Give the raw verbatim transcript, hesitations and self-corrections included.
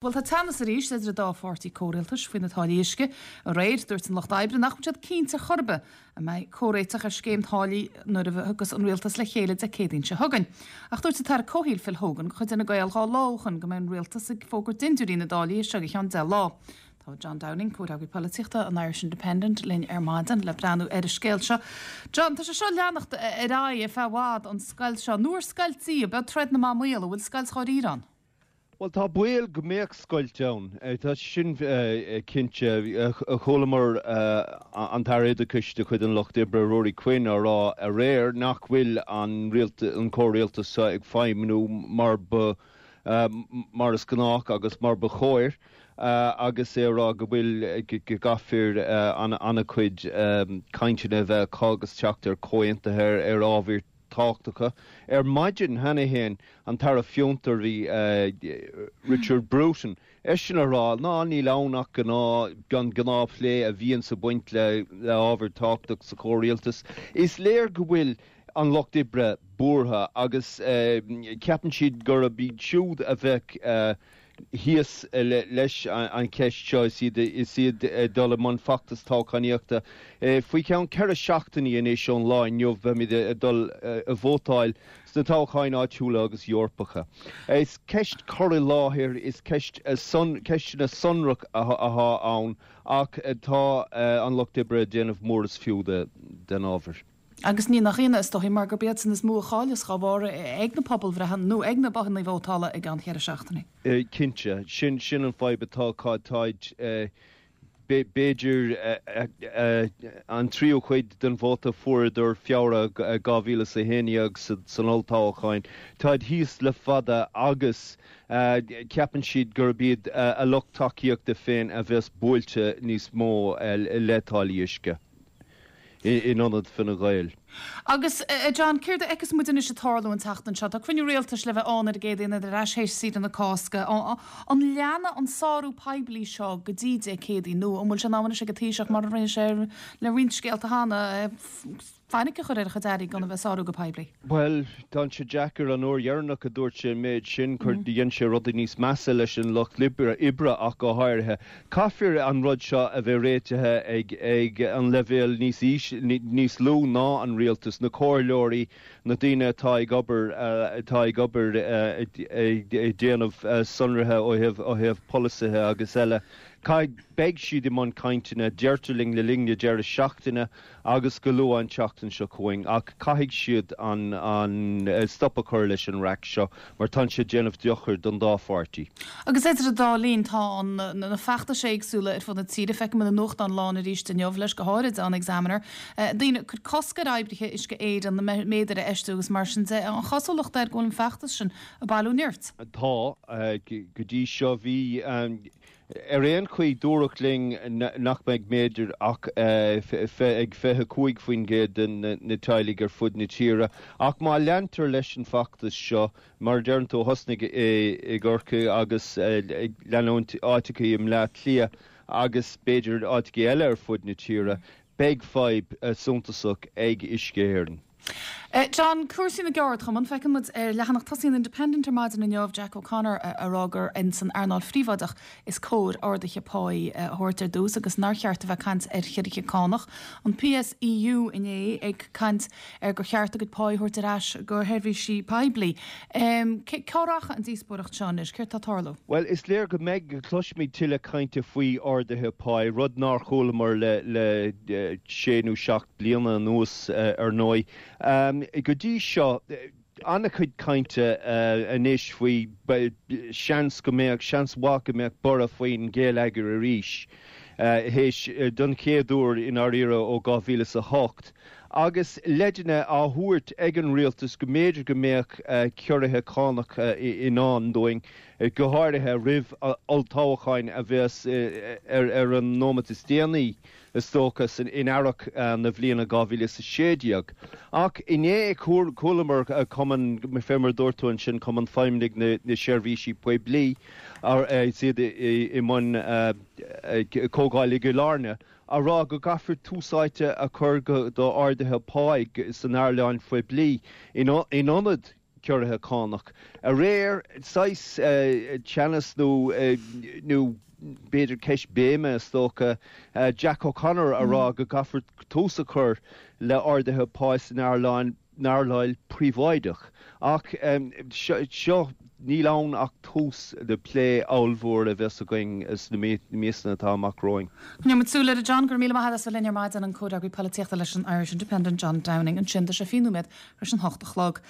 Bhuel, tá teannas arís idir an dá pháirtí comhrialtais faoi na táillí uisce. Aréir, dúirt an Lucht Oibre nach bhfuil siad cinnte chor ar bith an mbeidh comhréiteach ar scéim táillí nuair a thiocfas an rialtas le chéile Dé Céadaoin seo chugainn. Ach dúirt an tAire Comhshaoil Phil Hogan de chuid Fhine Gael dhá lá ó shin go mbeidh an rialtas ag fógairt dindiúirí na dtáillí as seo go ceann deich lá. Tá John Downing, comhfhreagraí polaitíochta an Irish Independent, linn ar maidin le breathnú ar an scéal seo. John, tá sé seo ag leanacht ar aghaidh ar feadh i bhfad, an scoilt seo. Nuair scoilt í, ab ea troid na mban maol, an bhfuil scoilt dháiríre ann? Bhuel, tá baol go mbeadh scoilt ann, tá sin cinnte. Chualamar an tAire Oideachais de chuid an Lucht Oibre, Ruairí Quinn, á rá aréir nach bhfuil an comhrialtas seo ag feidhmiú mar ba mar is gnách agus mar ba chóir, agus é ag rá go bhfuil go gcaithfear an-chuid cainteanna a bheith acu agus teacht ar chomhaontuithe ar ábhair tábhachtacha. Ar maidin cheana féin, an tAire Fiontar, bhí Richard Bruton, eisean a rá ná níl ann ach gnáth, an gnáthphlé a bhíonns ag baint le ábhar tábhachtach sa chomhrialtas. Is léir go bhfuil an Lucht Oibre buartha agus ceapann siad gurb iad siúd a bheadh thíos leis an cheist seo is iad is iad ag dul i mbun feachtas toghchánaíochta. Faoi cheann ceithre seachtainí anois ón lá inniu beimid ag dul a vótáil sna toghcháin áitiúla agus Eorpacha. Is ceist cur i láthair, is ceist ceisteanna sonrach atá ann ach tá an Lucht Oibre ag déanamh mór is fiú den ábhar. Agus ní nach ionadh, is dóichí, mar gurb iadsan is mó a chailleas dá bharr ag na pobalbhreitheanna nó ag na bothanna vótála i gceann cheithre seachtainí. Cinnte, sin sin an fadhb atá acu, táid b'fhéidir an tríú cuid den vóta a fuaireadar Feabhra dhá mhíle is a haon déag san olltoghchán. Táid thíos le fada agus ceapann siad gurb iad a lucht tacaíochta féin a bheas buailte níos mó le táillí uisce. In ionad Fine Gael. Agus, a John, céard a fheiceas muid anois ag tarlú an tseachtain seo? Tá cruinniú rialtais le bheith ann ar an gCéadaoin ar ais théis saoire na Cásca. An leanfaidh an sárú poiblí seo go dtí Dé Céadaoin nó an bhfuil sé in am anois ag an Taoiseach, mar a rinne sé le roinnt scéalta cheana, fainic a chur ar a chuid airí gan a bheith ag sárú go poiblí? Bhuel, tá sé deacair. An uair dheireanach a dúirt sé an méid sin, chuir, dhein sé rudaí níos measa leis an Lucht Oibre ach go háirithe. Caithfear an rud seo a bheith réitithe ag ag an leibhéal níos níos lú ná an rialtas, na comhairleoirí, na daoine atá ag obair atá ag obair ag déanamh sonraithe ó thaobh ó thaobh polasaithe agus eile. Caithfidh, beidh siad i mbun cainteanna, deirtear linn, le linn na deireadh seachtaine agus go luath an tseachtain seo chugainn ach caithfidh siad an, an stop a chur leis an raic seo mar tá sé ag déanamh dochair don dá pháirtí. Agus idir an dá linn tá an, na feachtais éagsúla ar fud na tíre, feicim na nuachtáin lán arís inniu leis, go háirid an Examiner, daoine ag cur cosc ar oibrithe Uisce Éireann na méadair a fheistiú agus mar sin de. An chosúlacht air go bhfuil an feachtas sin ag bailiú nirt? Tá, go dtí seo bhí. Ar aon chaoi, dúradh linn nach mbeidh méadair ach ag fiche cúig faoin gcéad de na teaghlaigh ar fud na tíre. Ach má leantar leis an bhfeachtas seo, mar a deireann tú, a thosnaigh i gCorcaigh agus ag leanúint áiteachaí i mBleá Cliath agus b'fhéidir áiteachaí eile ar fud na tíre, beidh fadhb suntasach ag Uisce Éireann. John, cúrsaí na gceardchumann, feiceann muid ar leathanach tosaigh an Independent ar maidin inniu Jack O'Connor a rá gur ins an earnáil phríobháideach is cóir arduithe páí a thabhairt ar dtús agus nár cheart a bheith ag caint ar chiorruithe cánach. An P S E U inné ag caint ar gur cheart a gcuid páí a thabhairt ar ais go sheirbhísí poiblí. Cá rachaidh an díospóireacht seo anois? Céard tá ag tarlú? Bhuel, is léir go mbeidh, go gcloisfimid tuilleadh cainte faoi arduithe páí, rud nár chualamar le le sé nó seacht bliana anuas ar ndóigh. Go dtí seo, an-chuid cainte anois faoi seans go mbeadh, seans mhaith go mbeadh borradh faoin gheilleagar arís, théis, don chéad uair i ndáiríre ó dhá mhíle is a hocht, agus leideanna á thabhairt ag an rialtas go mb'fhéidir go mbeadh ciorruithe cánach i ndán dúinn, go háirithe roimh olltoghcháin a bheas ar an nóimeat is déanaí. is dócha, in earrach na bhliana dhá mhíle is a sé déag. Ach inné chualamar Cumann, fé mar a dúirt tú ansin, Cumann Feidhmeannaigh na Seirbhísí Poiblí, is iad i mbun comhdháil i gCill Airne, á rá go gcaithfear tús áite a chur do arduithe páí san earnáil phoiblí in ionad ciorruithe cánach. Aréir saghas teannas nó nó b'fhéidir ceist béime is dócha Jack O'Connor a rá go gcaithfear tús a chur le arduithe pá san earnáil earnáil príobháideach. Ach seo níl ann ach tús de plé ollmhór a bheas againn sna míonna atá amach romhainn. Coinneoidh muid súil air John gur míle maith linn ar maidin an comhfhreagraí polaitíochta leis an Irish Independent John Downing ansin tá sé fiche nóiméad tar éis an hocht a chlog.